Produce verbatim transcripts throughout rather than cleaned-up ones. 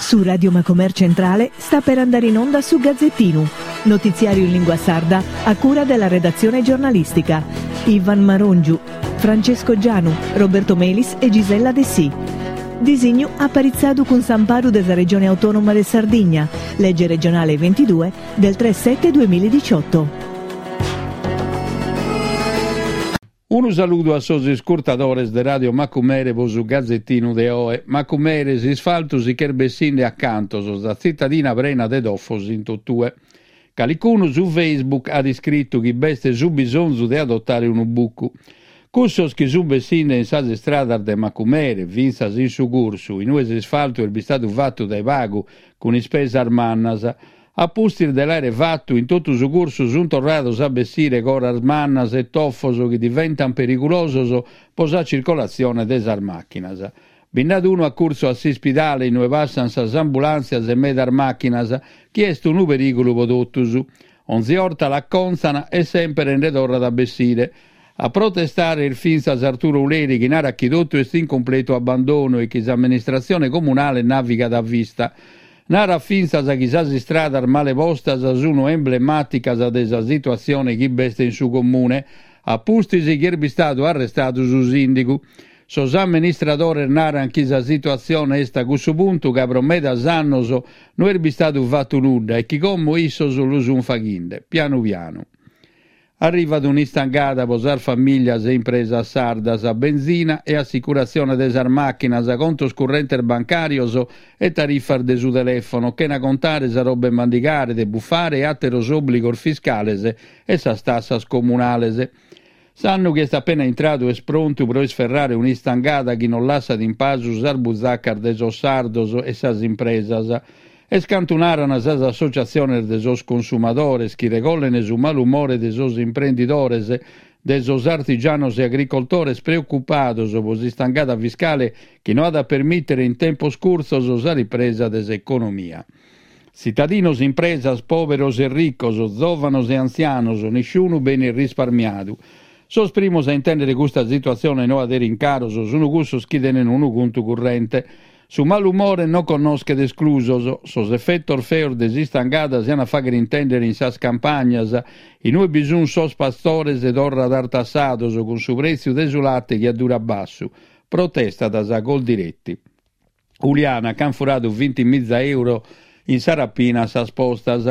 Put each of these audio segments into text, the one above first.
Su Radio Macomer Centrale sta per andare in onda su Gazzettinu, notiziario in lingua sarda a cura della redazione giornalistica. Ivan Marongiu, Francesco Gianu, Roberto Melis e Gisella Dessì. Disignu aparitzadu cun s'amparu de sa Regione Autonoma de Sardigna, legge regionale ventidue del tre sette duemiladiciotto. Unu saludu a sos iscurtadores de Radio Macumere po su Gazettinu de oe. Macumere, s'isfaltu si ch'est bessinde a cantos, sa tzitadina prena de tofos in totue. Calicunu su Facebook at iscritu chi b'est su bisonzu de adotare unu bucu. Cussos chi sunt bessinde in sas istradas de Macumere, fintzas in su cursu, in ue s'isfaltu est bistadu fatu dae pagu cun ispesas mannas, a pustis de l'àere fatu in totu su cursu sunt torrados a bessire coras mannas e tofos chi diventant perigulosos po sa circolatzione de sas màchinas. Bi nd'at unu a curtzu a s'ispidale in ue passant sas ambulàntzias e medas màchinas, chi est unu perìgulu po totus. Onzi 'orta l'acontzan e sèmpere nde torrat a bessire. A protestare est fintzas Arturo Uleri chi narat chi totu est in cumpletu abbandonu e chi s'amministratzione comunale navigat a vista. Narat fintzas chi sas istradas male postas sunu emblemàticas de sa situatzione chi b'est in su comune, a pustis chi est bistadu arrestadu su sìndigu. Sos amministradores naran chi sa situatzione est a cussu puntu ca pro medas annos no est bistadu fatu nudda e chi como issos lu sun faghinde, pianu pianu. Arrivat un'istangada pro sas famìlias e impresas sardas, benzina e assicuratzione de sas màchinas, contos currentes bancàrios e tarifas de su telèfono, chena contare sa roba 'e mandigare, de bufare e àteros òbligos fiscales e sas tassas comunales. S'annu chi est apena intradu est prontu pro isferrare un'istangada chi non lassat in pasu sas buzacas de sos sardos e sas impresas. Est cantu naran sas associatziones de sos consumadores chi regollen su malumore de sos imprendidores, de sos artigianos e agricoltores preocupados pro s'istangada fiscale chi no at a permìtere in tempos curtzos sa ripresa de s'economia. Tzitadinos, impresas, pòberos e ricos, zòvanos e antzianos, nisciunu benit risparmiadu. Sos primos a intèndere custa situatzione noa de rincaros sunt cussos chi tenen unu contu currente. Su malumore non connoschet esclusos. Sos efetos feos de s'istangada si an a fàghere intèndere in sas campagnas, in ue bi sunt sos pastores torra tartassados cun su prètziu de su late chi addurat bassu. Protestat sa Coldiretti. Uliana, ch'an furadu vinti miza euro in sa rapina a sas postas.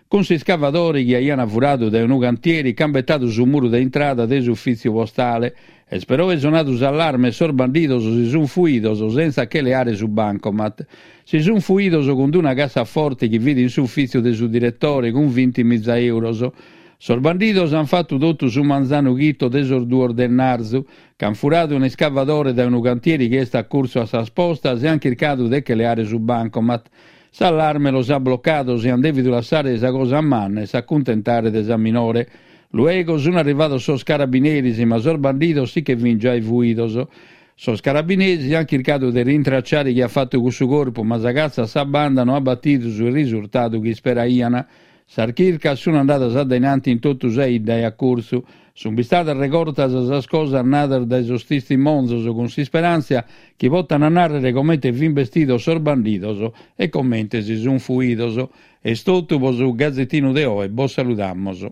Cun s'iscavadore chi aian furadu dae unu cantieri ch'an betadu su muru de intrada de s'ufìtziu postale. Est peroe sonadu s'allarme e sos bandidos si sunt fuidos sentza che leare su bancomat. Si sunt fuidos cun d'una cassaforte chi fit in s'ufìtziu de su diretore cun vinti miza euros. Sos bandidos an fatu totu su manzanu chito de sos duos de ennarzu, ch'an furadu un'iscavadore dae unu cantieri chi est a curtzu a sas postas e an chircadu de che leare su bancomat. S'allarme los at blocados e an dèvidu lassare sa cosa manna e s'acuntentare de sa minore. Luego sun arrivados sos carabineris, ma sos bandidos si che fin giai fuidos. Sos carabineris an chircadu de rintracciare chie at fatu cussu corpu, ma sa catza a sa banda no at batidu su risurtadu chi isperaian. Sas chircas sun andadas a dainanti in totu sa 'idda e a curtzu. Sun bistadas regortas sas cosas nadas dae sos tistimonzos cun s'isperàntzia chi potan nàrrere comente fin bestidos sos bandidos e comente si sun fuidos. Est totu pro su Gazettinu de oe, bos saludamos.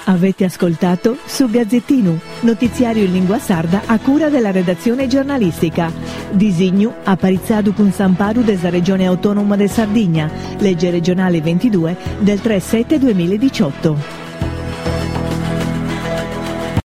Avete ascoltato su Gazzettinu, notiziario in lingua sarda a cura della redazione giornalistica. Disignu aparitzadu cun s'amparu de sa Regione Autonoma de Sardigna, legge regionale ventidue del tre sette duemiladiciotto.